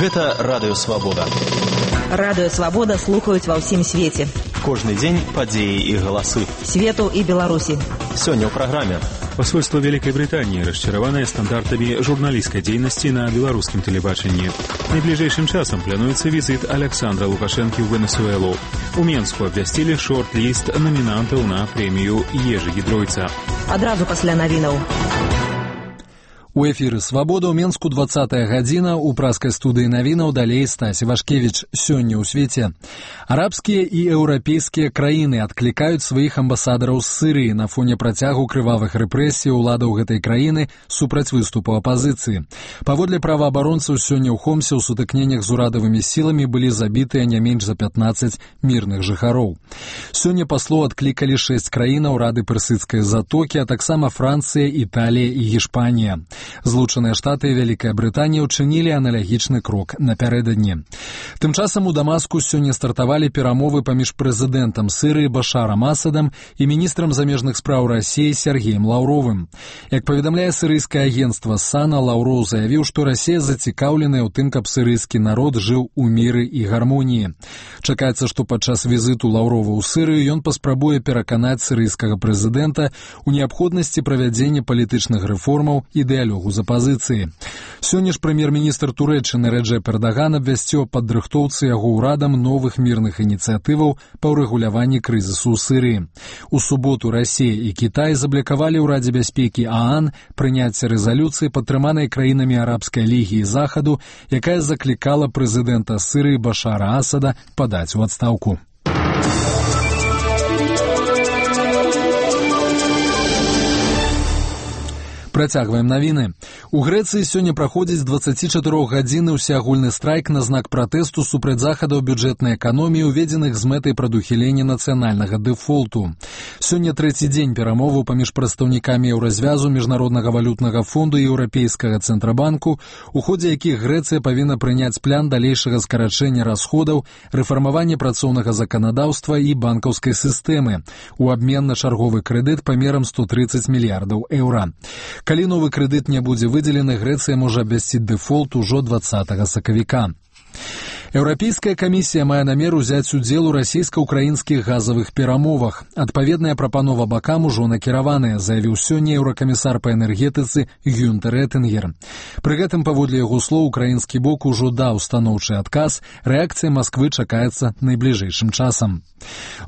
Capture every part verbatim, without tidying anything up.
Гэта Радыё Свабода. Радыё Свабода слухаюць ва ўсім свеце. Кожны дзень падзеі і галасы. Свету і Беларусі. Сёння ў праграме. Посольство Великой Британии расчараванае стандартамі журналісцкай дзейнасці на беларускім тэлебачанні. Найбліжэйшым часам плануецца візіт Александра Лукашэнкі ў Венесуэлу. У Менску абвясцілі шорт-ліст намінантаў на прэмію Ежы Гідройца. Адразу пасля навінаў. У эфіры «Свабода» ў Менску двадцатая гадзіна, у праскай студыі навінаў далей Стась Івашкевіч. Сёння ў свеце. Арабскія і еўрапейскія краіны адклікаюць сваіх амбасадараў з Сырыі на фоне працягу крывавых рэпрэсій уладаў гэтай краіны супраць выступу апазіцыі. Паводле праваабаронцаў, сёння ў Хомсе ў сутыкненнях з урадавымі сіламі былі забітыя не менш за пятнаццаць мірных жыхароў. Сёння паслоў адклікалі шэсць краінаў Рады Персыдскай затокі, а таксама Францыя, Італія і Гішпанія. Злучаныя Штаты і Вялікая Брытанія ўчынілі аналагічны крок напярэдадні. Тым часам у Дамаску сёння стартавалі перамовы паміж прэзідэнтам Сырыі Башарам Асадам і міністрам замежных спраў Расіі Сергеем Лаўровым. Як паведамляе сырыйскае агенцтва САНА, Лаўроў заявіў, што Расія зацікаўленая ў тым, каб сырыйскі народ жыў у міры і гармоніі. Чакаецца, што падчас візіту Лаўрова ў Сырыю ён паспрабуе пераканаць сырыйскага прэзідэнта ў неабходнасці правядзення палітычных рэформаў і дыялогу з апазіцыі. Сёння ж прэм'ер-міністр Турэччыны Рэджэп Эрдаган абвясціў аб падрыхтоўцы яго ўрадам новых мірных ініцыятываў па ўрэгуляванні крызісу ў Сырыі. У суботу Расія і Кітай заблякавалі ў Радзе бяспекі ААН прыняцце рэзалюцыі, падтрыманай краінамі Арабскай лігі і Захаду, якая заклікала прэзідэнта Сырыі Башара Асада падаць у адстаўку. Працягваем навіны. У Грэцыі сёння праходзіць дваццацічатырохгадзінны ўсеагульны страйк на знак пратэсту супраць захадаў бюджэтнай эканоміі, уведзеных з мэтай прадухілення нацыянальнага дэфолту. Сёння трэці дзень перамоваў паміж прадстаўнікамі еўразвязу, міжнароднага валютнага фонду і еўрапейскага цэнтрабанку, у ходзе якіх Грэцыя павінна прыняць план далейшага скарачэння расходаў, рэфармавання працоўнага заканадаўства і банкаўскай сістэмы у абмен на чарговы крэдыт памерам сто трыццаць мільярдаў еўра. Калі новы крэдыт не будзе выдзелены, Грэцыя можа абвясціць дэфолт ужо дваццатага сакавіка. Еўрапейская камісія мае намер узяць удзел у расійска-ўкраінскіх газавых перамовах. Адпаведная прапанова бакам ужо накіраваная, заявіў сёння еўракамісар па энергетыцы Гюнтер Этынгер. Пры гэтым, паводле яго слоў, украінскі бок ужо даў станоўчы адказ, рэакцыя Масквы чакаецца найбліжэйшым часам.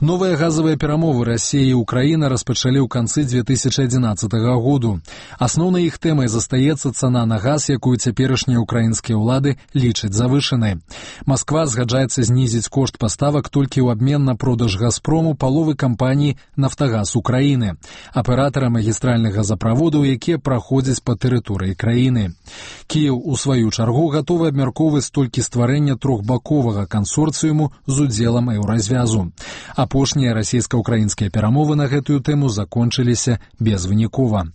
Новыя газавыя перамовы Расія і Украіна распачалі ў канцы дзве тысячы адзінаццатага году. Асноўнай іх тэмай застаецца цана на газ, якую цяперашнія ўкраінскія ўлады лічаць завышанай. Масква згаджаецца знізіць кошт паставак толькі ў абмен на продаж «Газпрому» паловы кампаніі «Нафтагаз Украіны», аператара магістральных газаправодаў, якія праходзяць па тэрыторыі краіны. Кіеў, у сваю чаргу, гатовы абмяркоўваць толькі стварэння трохбаковага кансорцыуму з удзелам еўразвязу. Апошнія расійска-ўкраінскія перамовы на гэтую тэму закончыліся безвынікова.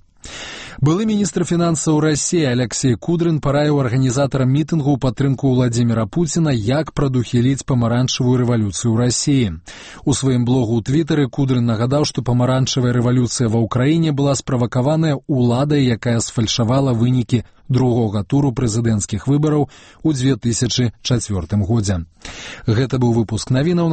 Былы міністр фінансаў Расіі Алексей Кудрин параіў арганізатарам мітынгу ў падтрымку Владзіміра Пуціна, як прадухіліць памаранчавую рэвалюцыю ў Расіі. У сваім блогу ў Твітары Кудрин нагадаў, што памаранчавая рэвалюцыя ва ўкраіне была справакаваная уладай, якая сфальшавала вынікі другога туру прэзідэнцкіх выбараў у дзве тысячы чацвёртым годзе. Гэта быў выпуск навінаў.